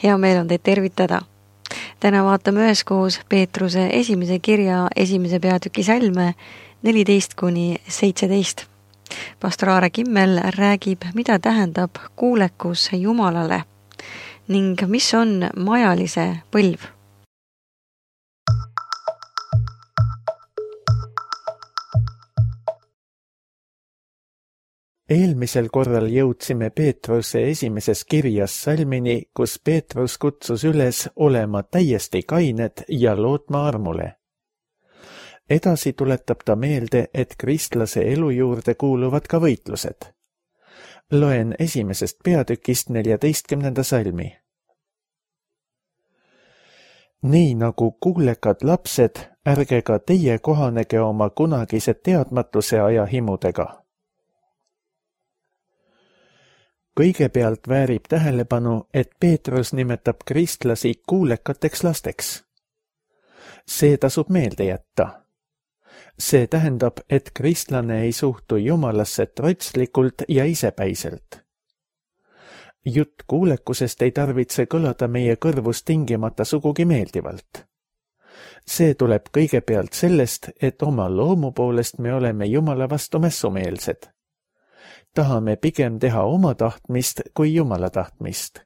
Hea meel on teid tervitada. Täna vaatame üheskoos Peetruse esimese kirja esimese peatüki salme 14-17. Pastor Aare Kimmel räägib, mida tähendab kuulekus Jumalale ning mis on majalise põlv. Eelmisel korral jõudsime Peetruse esimeses kirjas salmini, kus Peetrus kutsus üles olema täiesti kained ja lootma armule. Edasi tuletab ta meelde, et kristlase elu juurde kuuluvad ka võitlused. Loen esimesest peatükist 14. salmi. Nii nagu kuulekad lapsed, ärge ka teie kohanege oma kunagise teadmatuse aja himudega. Kõigepealt väärib tähelepanu, et Peetrus nimetab kristlasi kuulekateks lasteks. See tasub meelde jätta. See tähendab, et kristlane ei suhtu Jumalasse trotslikult ja isepäiselt. Jutt kuulekusest ei tarvitse kõlada meie kõrvus tingimata sugugi meeldivalt. See tuleb kõigepealt sellest, et oma loomu poolest me oleme Jumala vastu mässumeelsed. Tahame pigem teha oma tahtmist kui Jumala tahtmist.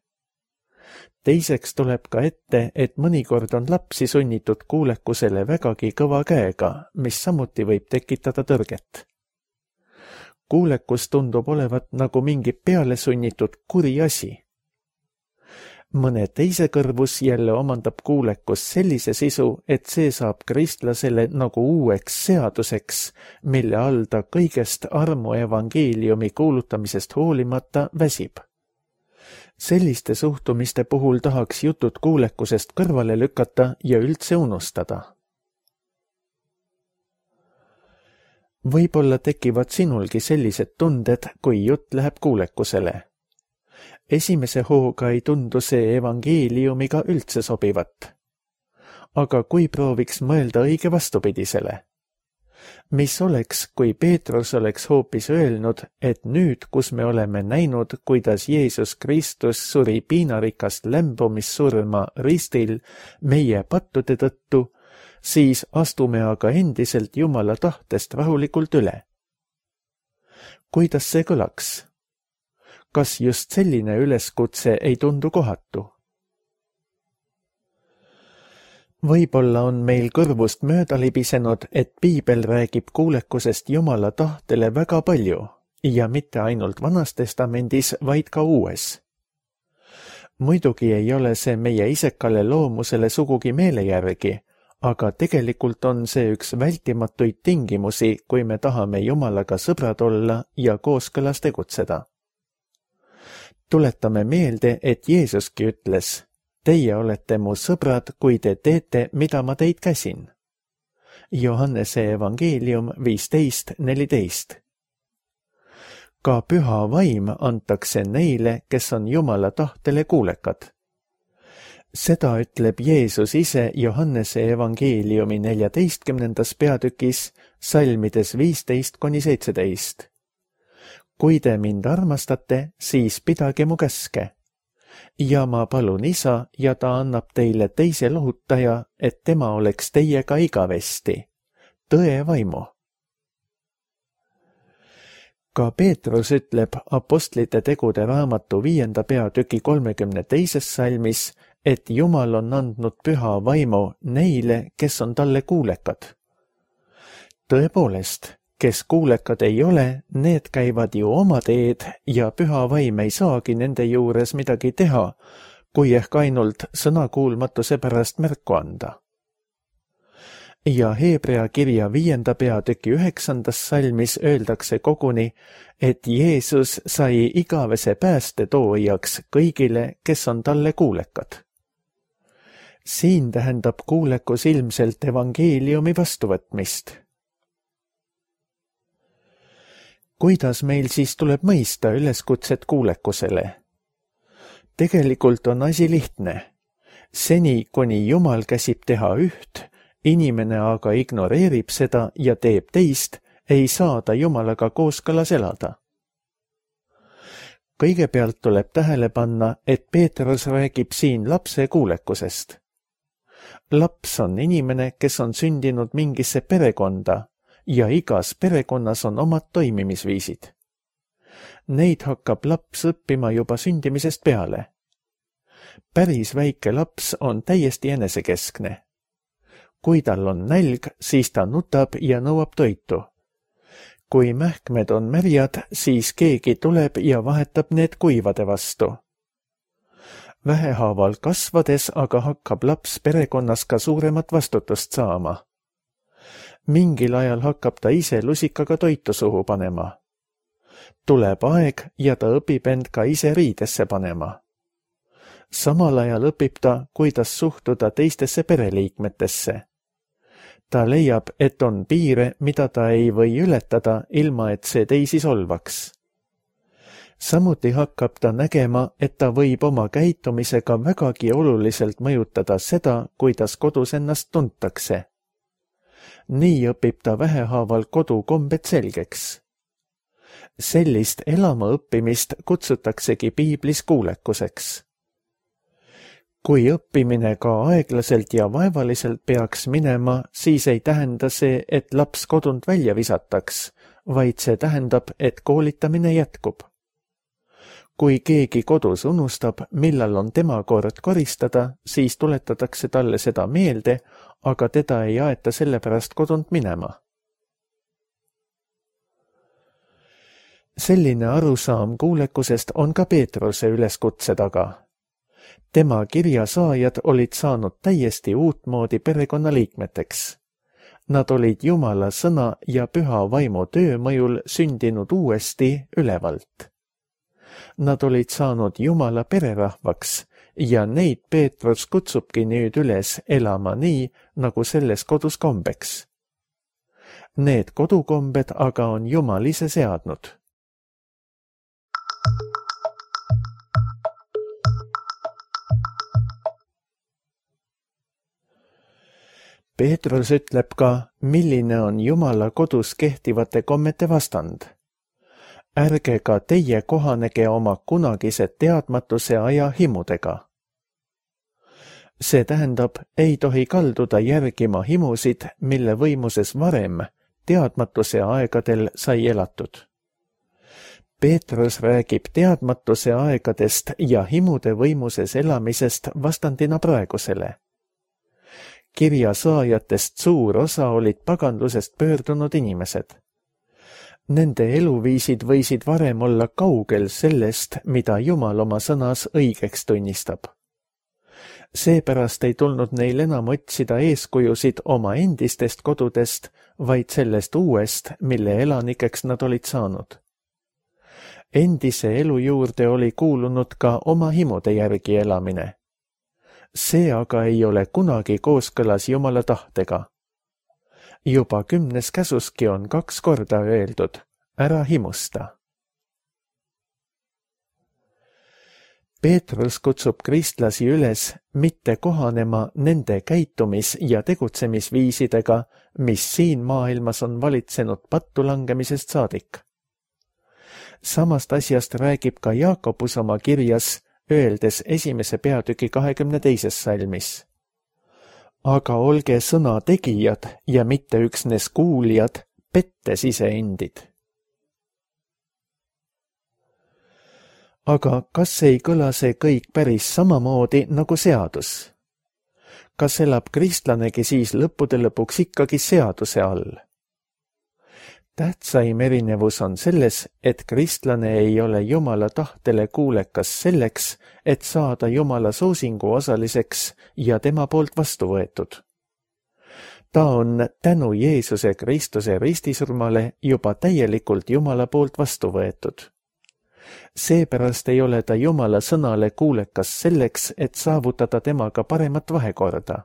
Teiseks tuleb ka ette, et mõnikord on lapsi sunnitud kuulekusele vägagi kõva käega, mis samuti võib tekitada tõrget. Kuulekus tundub olevat nagu mingi peale sunnitud kuri asi. Mõne teise kõrvus jälle omandab kuulekus sellise sisu, et see saab kristlasele nagu uueks seaduseks, mille all ta kõigest armu evangeeliumi kuulutamisest hoolimata väsib. Selliste suhtumiste puhul tahaks jutud kuulekusest kõrvale lükata ja üldse unustada. Võib-olla tekivad sinulgi sellised tunded, kui jutt läheb kuulekusele. Esimese hooga ei tundu see evangeeliumiga üldse sobivat. Aga kui prooviks mõelda õige vastupidisele? Mis oleks, kui Peetrus oleks hoopis öelnud, et nüüd, kus me oleme näinud, kuidas Jeesus Kristus suri piinarikast lämbumissurma ristil meie pattude tõttu, siis astume aga endiselt Jumala tahtest rahulikult üle. Kuidas see kõlaks? Kas just selline üleskutse ei tundu kohatu? Võib-olla on meil kõrvust mööda libisenud, et Piibel räägib kuulekusest Jumala tahtele väga palju ja mitte ainult Vanas Testamendis, vaid ka Uues. Muidugi ei ole see meie isekale loomusele sugugi meele järgi, aga tegelikult on see üks vältimatuid tingimusi, kui me tahame Jumalaga sõbrad olla ja kooskõlas tegutseda. Tuletame meelde, et Jeesuski ütles, teie olete mu sõbrad, kui te teete, mida ma teid käsin. Johannese evangeelium 15:14. Ka püha vaim antakse neile, kes on Jumala tahtele kuulekad. Seda ütleb Jeesus ise Johannese evangeeliumi 14. peatükis salmides 15-17. Kui te mind armastate, siis pidage mu käske. Ja ma palun Isa ja ta annab teile teise lohutaja, et tema oleks teiega igavesti. Tõe vaimu. Ka Peetrus ütleb Apostlite tegude raamatu 5. peatüki 32. salmis, et Jumal on andnud püha vaimu neile, kes on talle kuulekad. Tõepoolest, kes kuulekad ei ole, need käivad ju oma teed ja püha vaim ei saagi nende juures midagi teha, kui ehk ainult sõnakuulmatuse pärast märku anda. Ja Heebrea kirja 5. peatüki 9. salmis öeldakse koguni, et Jeesus sai igavese pääste toojaks kõigile, kes on talle kuulekad. Siin tähendab kuulekus ilmselt evangeeliumi vastuvõtmist. Kuidas meil siis tuleb mõista üleskutset kuulekusele? Tegelikult on asi lihtne. Seni, kuni Jumal käsib teha üht, inimene aga ignoreerib seda ja teeb teist, ei saa ta Jumalaga kooskõlas elada. kõigepealt tuleb tähele panna, et Peetrus räägib siin lapse kuulekusest. Laps on inimene, kes on sündinud mingisse perekonda ja igas perekonnas on omad toimimisviisid. Neid hakkab laps õppima juba sündimisest peale. Päris väike laps on täiesti enesekeskne. Kui tal on nälg, siis ta nutab ja nõuab toitu. Kui mähkmed on märjad, siis keegi tuleb ja vahetab need kuivade vastu. Vähehaaval kasvades aga hakkab laps perekonnas ka suuremat vastutust saama. Mingil ajal hakkab ta ise lusikaga toitu suhu panema. Tuleb aeg ja ta õpib end ka ise riidesse panema. Samal ajal õpib ta, kuidas suhtuda teistesse pereliikmetesse. Ta leiab, et on piire, mida ta ei või ületada, ilma et see teisi solvaks. Samuti hakkab ta nägema, et ta võib oma käitumisega vägagi oluliselt mõjutada seda, kuidas kodus ennast tuntakse. Nii õpib ta vähehaaval kodukombed selgeks. Sellist elama õppimist kutsutaksegi piiblis kuulekuseks. Kui õppimine ka aeglaselt ja vaevaliselt peaks minema, siis ei tähenda see, et laps kodunt välja visataks, vaid see tähendab, et koolitamine jätkub. Kui keegi kodus unustab, millal on tema kord koristada, siis tuletatakse talle seda meelde, aga teda ei aeta sellepärast kodunt minema. Selline arusaam kuulekusest on ka Peetruse üleskutse taga. Tema kirjasaajad olid saanud täiesti uutmoodi perekonnaliikmeteks. Nad olid Jumala sõna ja püha vaimu töömõjul sündinud uuesti ülevalt. Nad olid saanud Jumala pererahvaks ja neid Peetrus kutsubki nüüd üles elama nii, nagu selles kodus kombeks. Need kodukombed aga on Jumal ise seadnud. Peetrus ütleb ka, milline on Jumala kodus kehtivate kommete vastand. Ärge ka teie kohanege oma kunagise teadmatuse aja himudega. See tähendab, ei tohi kalduda järgima himusid, mille võimuses varem, teadmatuse aegadel sai elatud. Peetrus räägib teadmatuse aegadest ja himude võimuses elamisest vastandina praegusele. Kirja saajatest suur osa olid paganlusest pöördunud inimesed. Nende eluviisid võisid varem olla kaugel sellest, mida Jumal oma sõnas õigeks tunnistab. Seepärast ei tulnud neil enam otsida eeskujusid oma endistest kodudest, vaid sellest uuest, mille elanikeks nad olid saanud. Endise elu juurde oli kuulunud ka oma himude järgi elamine. See aga ei ole kunagi kooskõlas Jumala tahtega. Juba 10. käsuski on 2 korda öeldud, ära himusta. Peetrus kutsub kristlasi üles mitte kohanema nende käitumis- ja tegutsemisviisidega, mis siin maailmas on valitsenud pattu langemisest saadik. Samast asjast räägib ka Jaakobus oma kirjas, öeldes 1. peatüki 22. salmis. Aga olge sõna tegijad ja mitte üksnes kuulijad, pettes iseendid. Aga kas ei kõla see kõik päris samamoodi nagu seadus? Kas elab kristlanegi siis lõppude lõpuks ikkagi seaduse all? Tähtsaim erinevus on selles, et kristlane ei ole Jumala tahtele kuulekas selleks, et saada Jumala soosingu osaliseks ja tema poolt vastu võetud. Ta on tänu Jeesuse Kristuse ristisurmale juba täielikult Jumala poolt vastu võetud. Seepärast ei ole ta Jumala sõnale kuulekas selleks, et saavutada temaga paremat vahekorda.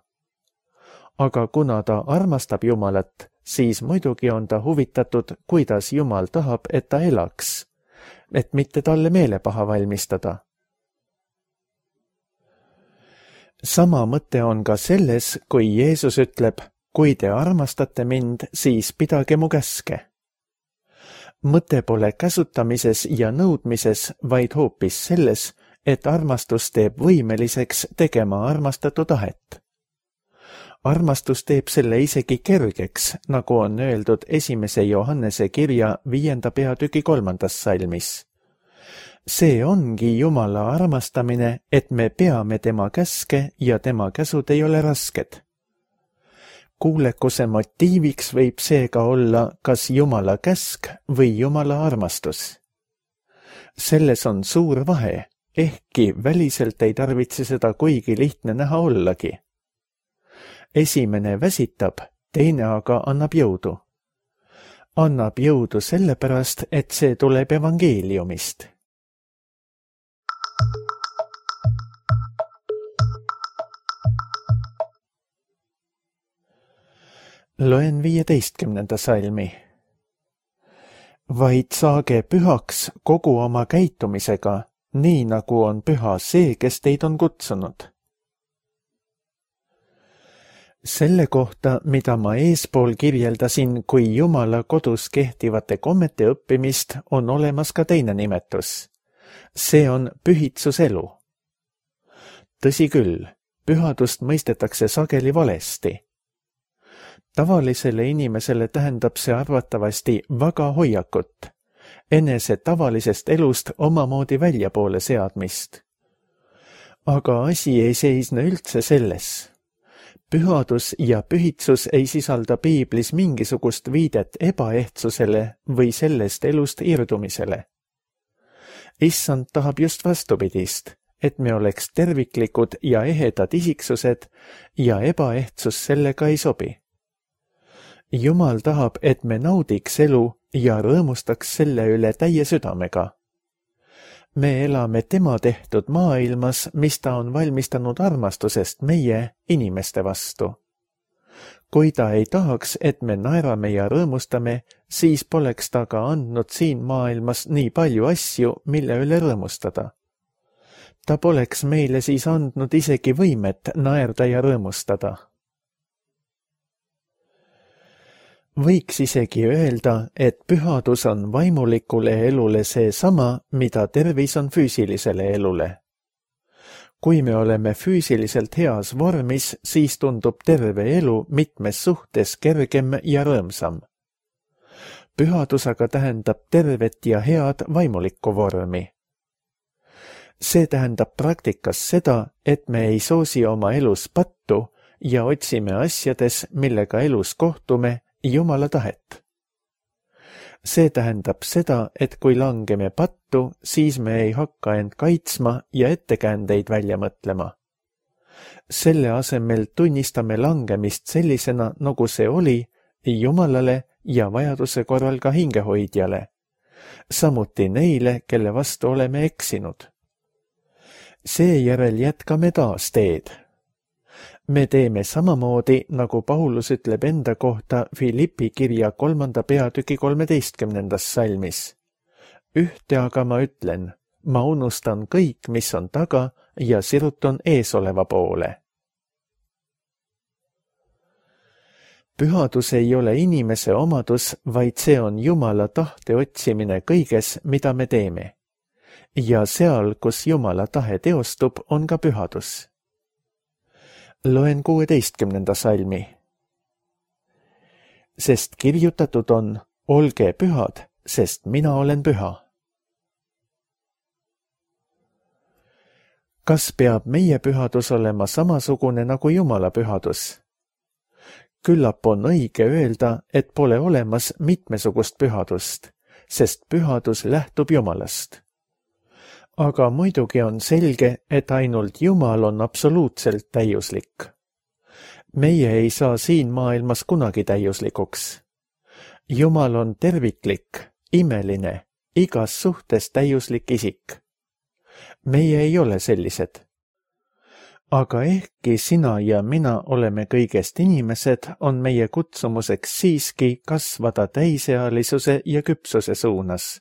Aga kuna ta armastab Jumalat, siis muidugi on ta huvitatud, kuidas Jumal tahab, et ta elaks, et mitte talle meelepaha valmistada. Sama mõte on ka selles, kui Jeesus ütleb, kui te armastate mind, siis pidage mu käske. mõte pole käsutamises ja nõudmises, vaid hoopis selles, et armastus teeb võimeliseks tegema armastatu tahet. Armastus teeb selle isegi kergeks, nagu on öeldud 1. Johannese kirja 5. peatüki 3. salmis. See ongi Jumala armastamine, et me peame tema käske ja tema käsud ei ole rasked. Kuulekuse motiiviks võib seega olla kas Jumala käsk või Jumala armastus. Selles on suur vahe, ehkki väliselt ei tarvitse seda kuigi lihtne näha ollagi. Esimene väsitab, teine aga annab jõudu. Annab jõudu sellepärast, et see tuleb evangeeliumist. Loen 15. salmi. Vaid saage pühaks kogu oma käitumisega, nii nagu on püha see, kes teid on kutsunud. Selle kohta, mida ma eespool kirjeldasin kui Jumala kodus kehtivate kommete õppimist, on olemas ka teine nimetus. See on pühitsuselu. Tõsi küll, pühadust mõistetakse sageli valesti. Tavalisele inimesele tähendab see arvatavasti väga hoiakut, enese tavalisest elust omamoodi väljapoole seadmist. Aga asi ei seisne üldse selles. Pühadus ja pühitsus ei sisalda piiblis mingisugust viidet ebaehtsusele või sellest elust irdumisele. Issand tahab just vastupidist, et me oleks terviklikud ja ehedad isiksused ja ebaehtsus sellega ei sobi. Jumal tahab, et me naudiks elu ja rõõmustaks selle üle täie südamega. Me elame tema tehtud maailmas, mis ta on valmistanud armastusest meie, inimeste vastu. Kui ta ei tahaks, et me naerame ja rõõmustame, siis poleks ta ka andnud siin maailmas nii palju asju, mille üle rõõmustada. Ta poleks meile siis andnud isegi võimet naerda ja rõõmustada. Võiks isegi öelda, et pühadus on vaimulikule elule seesama, mida tervis on füüsilisele elule. Kui me oleme füüsiliselt heas vormis, siis tundub terve elu mitmes suhtes kergem ja rõõmsam. Pühadus aga tähendab tervet ja head vaimulikku vormi. See tähendab praktikas seda, et me ei soosi oma elus pattu ja otsime asjades, millega elus kohtume, Jumala tahet. See tähendab seda, et kui langeme pattu, siis me ei hakka end kaitsma ja ettekäändeid välja mõtlema. Selle asemel tunnistame langemist sellisena, nagu see oli, Jumalale ja vajaduse korral ka hingehoidjale, samuti neile, kelle vastu oleme eksinud. Seejärel jätkame taas teed. Me teeme samamoodi, nagu Paulus ütleb enda kohta Filippi kirja 3. peatüki 13. salmis. Ühte aga ma ütlen, ma unustan kõik, mis on taga ja sirutun eesoleva poole. Pühadus ei ole inimese omadus, vaid see on Jumala tahte otsimine kõiges, mida me teeme. Ja seal, kus Jumala tahe teostub, on ka pühadus. Loen 16. salmi. Sest kirjutatud on, olge pühad, sest mina olen püha. Kas peab meie pühadus olema samasugune nagu Jumala pühadus? Küllap on õige öelda, et pole olemas mitmesugust pühadust, sest pühadus lähtub Jumalast. Aga muidugi on selge, et ainult Jumal on absoluutselt täiuslik. Meie ei saa siin maailmas kunagi täiuslikuks. Jumal on terviklik, imeline, igas suhtes täiuslik isik. Meie ei ole sellised. Aga ehkki sina ja mina oleme kõigest inimesed, on meie kutsumuseks siiski kasvada täisealisuse ja küpsuse suunas.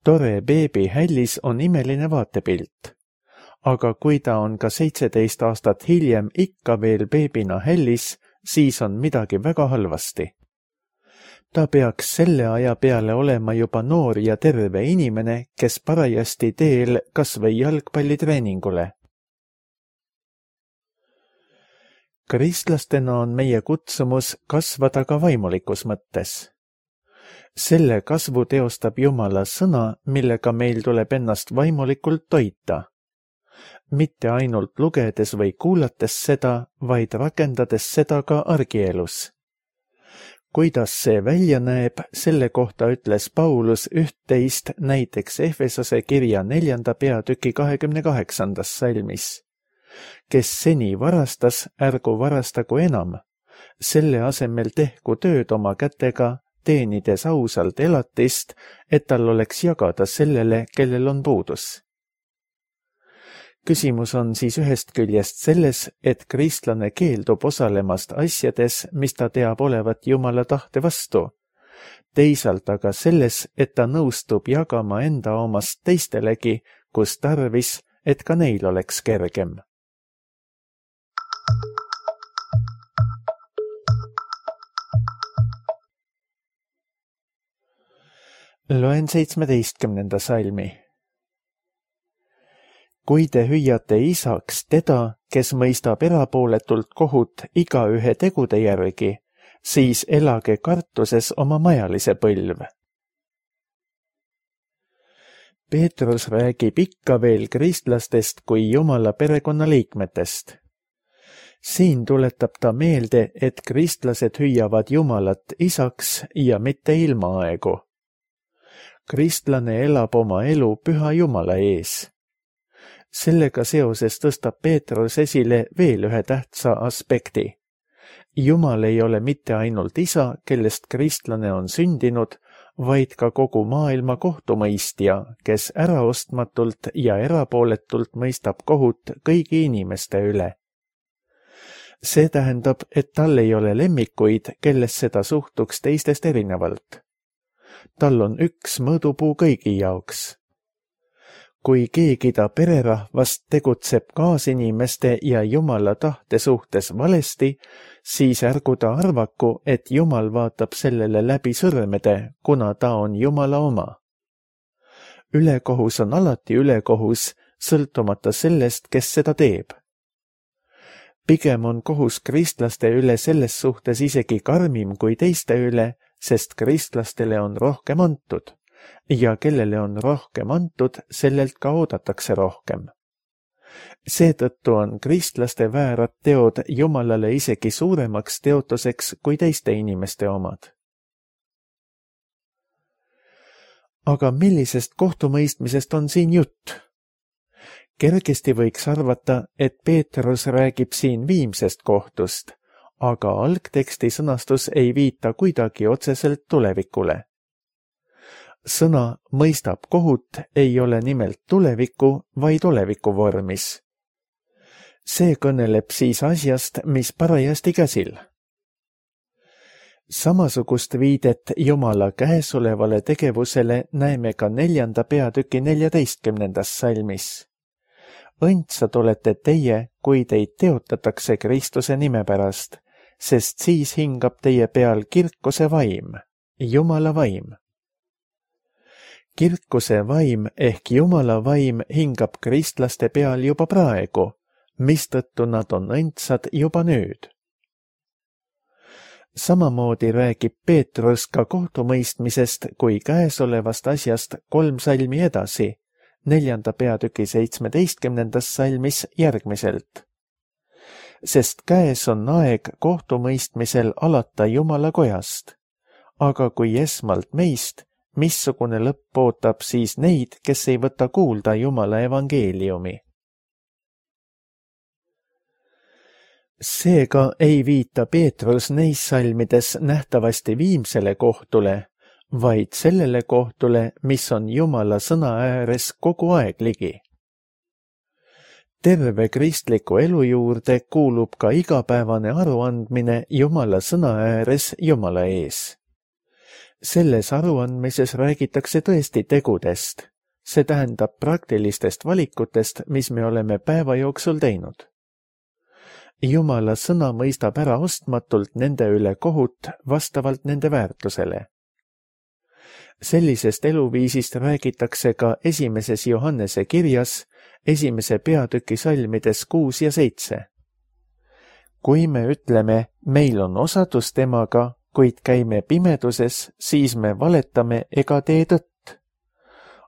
Tore beebi hällis on imeline vaatepilt, aga kui ta on ka 17 aastat hiljem ikka veel beebina hällis, siis on midagi väga halvasti. Ta peaks selle aja peale olema juba noor ja terve inimene, kes parajasti teel kas või jalgpallitreeningule. Kristlastena on meie kutsumus kasvada ka vaimulikus mõttes. Selle kasvu teostab Jumala sõna, millega meil tuleb ennast vaimulikult toita. Mitte ainult lugedes või kuulates seda, vaid rakendades seda ka argielus. Kuidas see välja näeb, selle kohta ütles Paulus üht-teist näiteks Efesose kirja 4. peatüki 28. salmis. Kes seni varastas, ärgu varastagu enam. Selle asemel tehku tööd oma kätega, teenides ausalt elatist, et tal oleks jagada sellele, kellel on puudus. Küsimus on siis ühest küljest selles, et kristlane keeldub osalemast asjades, mis ta teab olevat Jumala tahte vastu. Teisalt aga selles, et ta nõustub jagama enda omast teistelegi, kus tarvis, et ka neil oleks kergem. Loen 17. salmi. Kui te hüüate isaks teda, kes mõistab erapooletult kohut igaühe tegude järgi, siis elage kartuses oma majalise põlv. Peetrus räägib ikka veel kristlastest kui Jumala perekonnaliikmetest. Siin tuletab ta meelde, et kristlased hüüavad Jumalat isaks ja mitte ilmaaegu. Kristlane elab oma elu püha Jumala ees. Sellega seoses tõstab Peetrus esile veel ühe tähtsa aspekti. Jumal ei ole mitte ainult isa, kellest kristlane on sündinud, vaid ka kogu maailma kohtumõistja, kes äraostmatult ja erapooletult mõistab kohut kõigi inimeste üle. See tähendab, et tal ei ole lemmikuid, kellesse ta suhtuks teistest erinevalt. Tal on üks mõõdupuu kõigi jaoks. Kui keegi ta pererahvast tegutseb kaasinimeste ja Jumala tahte suhtes valesti, siis ärgu ta arvaku, et Jumal vaatab sellele läbi sõrmede, kuna ta on Jumala oma. Ülekohus on alati ülekohus, sõltumata sellest, kes seda teeb. Pigem on kohus kristlaste üle selles suhtes isegi karmim kui teiste üle, sest kristlastele on rohkem antud. Ja kellele on rohkem antud, sellelt ka oodatakse rohkem. Seetõttu on kristlaste väärad teod Jumalale isegi suuremaks teotuseks kui teiste inimeste omad. Aga millisest kohtumõistmisest on siin jutt? Kergesti võiks arvata, et Peetrus räägib siin viimsest kohtust, aga algteksti sõnastus ei viita kuidagi otseselt tulevikule. Sõna mõistab kohut ei ole nimelt tuleviku, vaid oleviku vormis. See kõneleb siis asjast, mis parajasti käsil. Samasugust viidet Jumala käesolevale tegevusele näeme ka 4. peatüki 14. salmis. Õndsad olete teie, kui teid teotatakse Kristuse nime pärast, sest siis hingab teie peal kirkuse vaim, Jumala vaim. Kirkuse vaim ehk Jumala vaim hingab kristlaste peal juba praegu, mistõttu nad on õndsad juba nüüd. Samamoodi räägib Peetrus ka kohtumõistmisest kui käesolevast asjast 3 salmi edasi, 4. peatüki 17. salmis järgmiselt. Sest käes on aeg kohtumõistmisel alata Jumala kojast, aga kui esmalt meist, missugune lõpp ootab siis neid, kes ei võta kuulda Jumala evangeeliumi. Seega ei viita Peetrus neis salmides nähtavasti viimsele kohtule, vaid sellele kohtule, mis on Jumala sõna ääres kogu aeg ligi. Terve kristliku elu juurde kuulub ka igapäevane aruandmine Jumala sõna ääres Jumala ees. Selles aruandmises räägitakse tõesti tegudest, see tähendab praktilistest valikutest, mis me oleme päeva jooksul teinud. Jumala sõna mõistab ära ostmatult nende üle kohut vastavalt nende väärtusele. Sellisest eluviisist räägitakse ka 1. Johannese kirjas 1. peatüki salmides 6 ja 7. Kui me ütleme, meil on osadus temaga, kuid käime pimeduses, siis me valetame ega tee tõtt.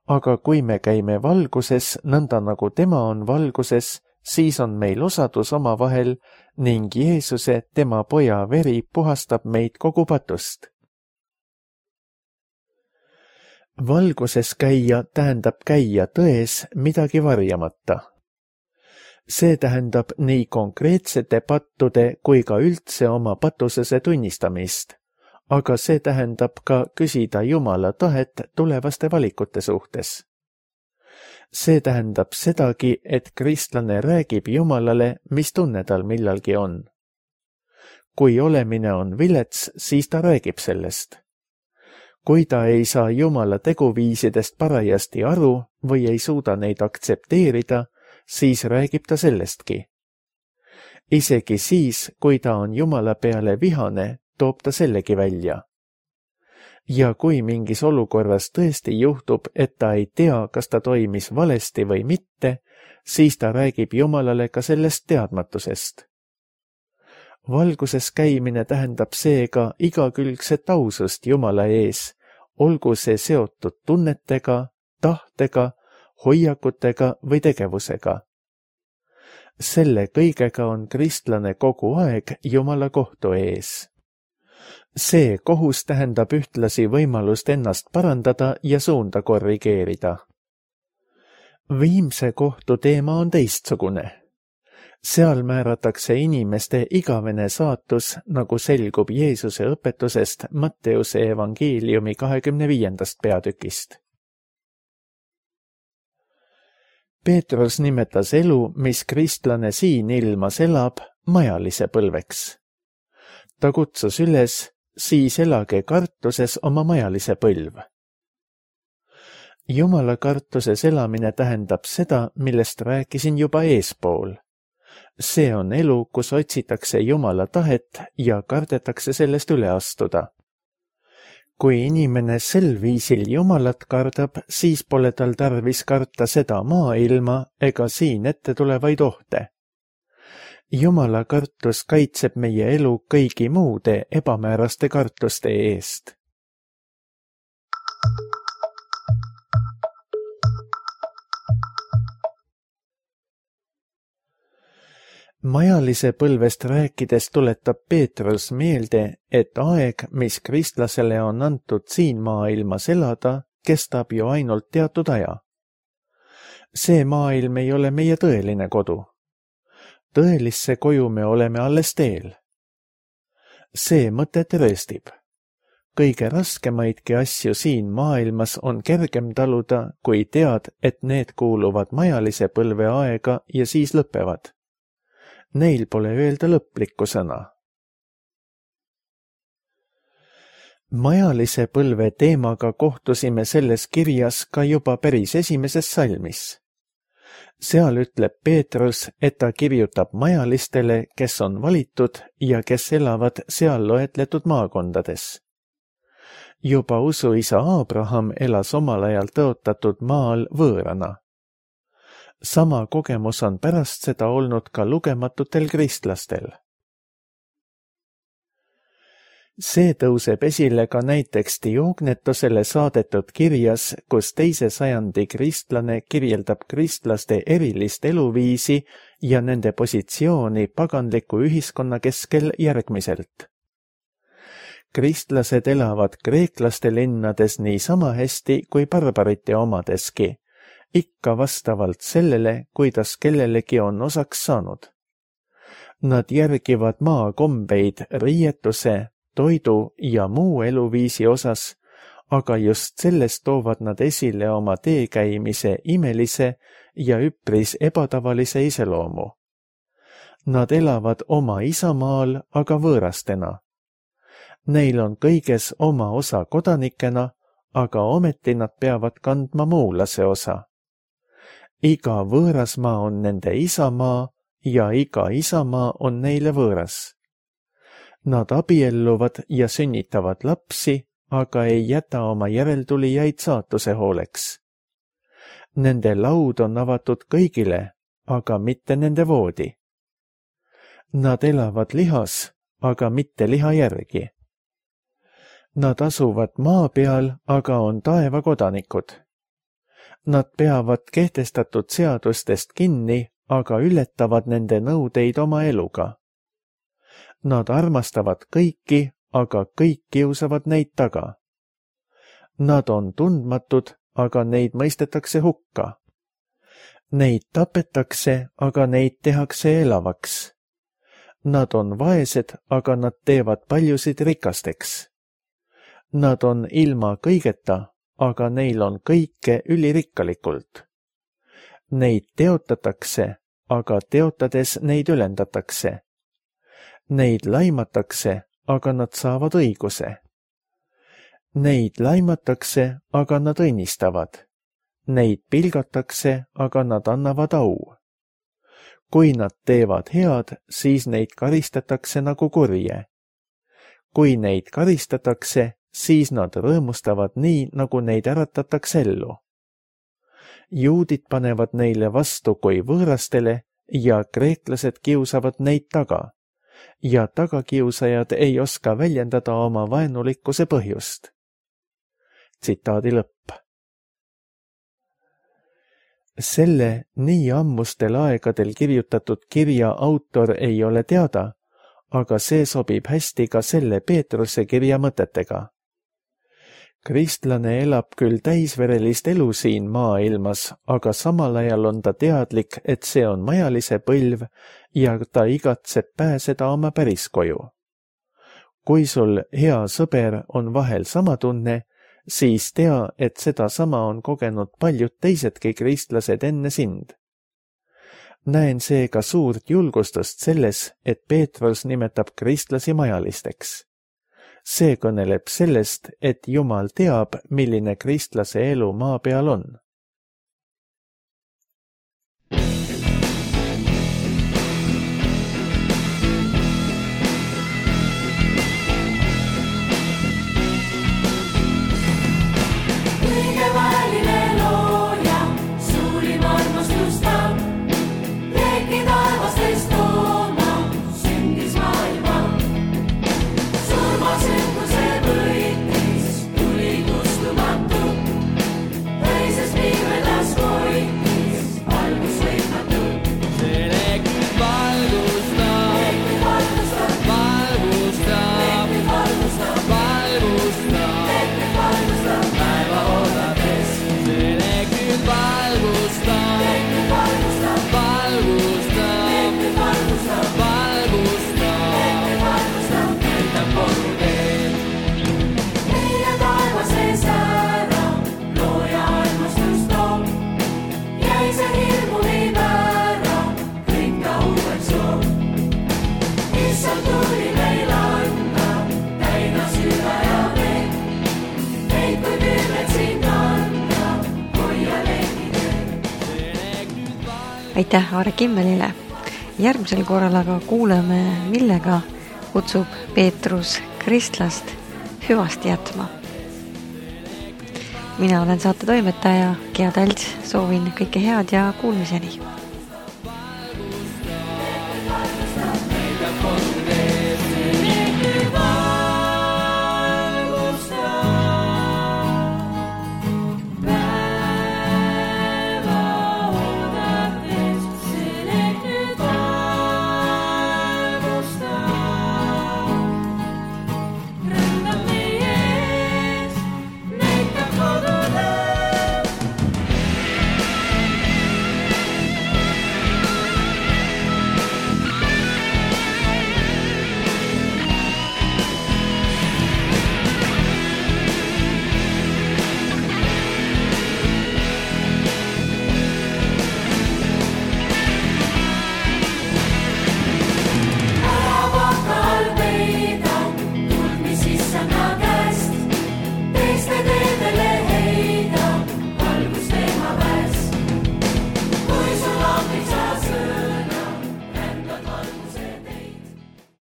Aga kui me käime valguses, nõnda nagu tema on valguses, siis on meil osadus omavahel ning Jeesuse, tema poja veri puhastab meid kogu patust. Valguses käia tähendab käia tões midagi varjamata. See tähendab nii konkreetsete pattude kui ka üldse oma patusese tunnistamist, aga see tähendab ka küsida Jumala tahet tulevaste valikute suhtes. See tähendab sedagi, et kristlane räägib Jumalale, mis tunne tal millalgi on. Kui olemine on vilets, siis ta räägib sellest. Kui ta ei saa Jumala teguviisidest parajasti aru või ei suuda neid aktsepteerida, siis räägib ta sellestki. Isegi siis, kui ta on Jumala peale vihane, toob ta sellegi välja. Ja kui mingis olukorras tõesti juhtub, et ta ei tea, kas ta toimis valesti või mitte, siis ta räägib Jumalale ka sellest teadmatusest. Valguses käimine tähendab seega igakülgset ausust Jumala ees, olgu see seotud tunnetega, tahtega, hoiakutega või tegevusega. Selle kõigega on kristlane kogu aeg Jumala kohtu ees. See kohus tähendab ühtlasi võimalust ennast parandada ja suunda korrigeerida. Viimse kohtu teema on teistsugune. Seal määratakse inimeste igavene saatus, nagu selgub Jeesuse õpetusest Matteuse evangeeliumi 25. peatükist. Peetrus nimetas elu, mis kristlane siin ilmas elab, majalise põlveks. Ta kutsus üles, siis elage kartuses oma majalise põlv. Jumala kartuses elamine tähendab seda, millest rääkisin juba eespool. See on elu, kus otsitakse Jumala tahet ja kardetakse sellest üle astuda. Kui inimene sel viisil Jumalat kardab, siis pole tal tarvis karta seda maailma ega siin ette tulevaid ohte. Jumala kartus kaitseb meie elu kõigi muude ebamääraste kartuste eest. Majalise põlvest rääkides tuletab Peetrus meelde, et aeg, mis kristlasele on antud siin maailmas elada, kestab ju ainult teatud aja. See maailm ei ole meie tõeline kodu. Tõelisse koju me oleme alles teel. See mõte tõestib. Kõige raskemaidki asju siin maailmas on kergem taluda, kui tead, et need kuuluvad majalise põlve aega ja siis lõpevad. Neil pole öelda lõplikku sõna. Majalise põlve teemaga kohtusime selles kirjas ka juba päris esimeses salmis. Seal ütleb Peetrus, et ta kirjutab majalistele, kes on valitud ja kes elavad seal loetletud maakondades. Juba usuisa Abraham elas omal ajal tõotatud maal võõrana. Sama kogemus on pärast seda olnud ka lugematutel kristlastel. See tõuseb esile ka näiteks Diognetusele saadetud kirjas, kus 2. sajandi kristlane kirjeldab kristlaste erilist eluviisi ja nende positsiooni paganliku ühiskonna keskel järgmiselt. Kristlased elavad kreeklaste linnades niisama hästi kui barbarite omadeski, ikka vastavalt sellele, kuidas kellelegi on osaks saanud. Nad järgivad maakombeid riietuse, toidu ja muu eluviisi osas, aga just sellest toovad nad esile oma teekäimise imelise ja üpris ebatavalise iseloomu. Nad elavad oma isamaal, aga võõrastena. Neil on kõiges oma osa kodanikena, aga ometi nad peavad kandma muulase osa. Iga võõrasmaa on nende isamaa ja iga isamaa on neile võõras. Nad abielluvad ja sünnitavad lapsi, aga ei jäta oma järeltulijaid saatuse hooleks. Nende laud on avatud kõigile, aga mitte nende voodi. Nad elavad lihas, aga mitte liha järgi. Nad asuvad maa peal, aga on taeva kodanikud. Nad peavad kehtestatud seadustest kinni, aga ületavad nende nõudeid oma eluga. Nad armastavad kõiki, aga kõik kiusavad neid taga. Nad on tundmatud, aga neid mõistetakse hukka. Neid tapetakse, aga neid tehakse elavaks. Nad on vaesed, aga nad teevad paljusid rikasteks. Nad on ilma kõigeta, aga neil on kõike ülirikkalikult. Neid teotatakse, aga teotades neid ülendatakse. Neid laimatakse, aga nad saavad õiguse. Neid laimatakse, aga nad õnnistavad. Neid pilgatakse, aga nad annavad au. Kui nad teevad head, siis neid karistatakse nagu kurje. Kui neid karistatakse, siis nad rõõmustavad nii, nagu neid äratatakse ellu. Juudid panevad neile vastu kui võõrastele ja kreeklased kiusavad neid taga. Ja tagakiusajad ei oska väljendada oma vaenulikkuse põhjust. Tsitaadi lõpp. Selle nii ammustel aegadel kirjutatud kirja autor ei ole teada, aga see sobib hästi ka selle Peetruse kirja mõtetega. Kristlane elab küll täisverelist elu siin maailmas, aga samal ajal on ta teadlik, et see on majalise põlv ja ta igatseb pääseda oma päriskoju. Kui sul hea sõber on vahel sama tunne, siis tea, et seda sama on kogenud paljud teisedki kristlased enne sind. Näen seega suurt julgustust selles, et Peetrus nimetab kristlasi majalisteks. See kõneleb sellest, et Jumal teab, milline kristlase elu maa peal on. Aitäh Aare Kimmelile. Järgmisel korral aga kuuleme, millega kutsub Peetrus kristlast hüvasti jätma. Mina olen saate toimetaja Gea Talts, soovin kõike head ja kuulmiseni.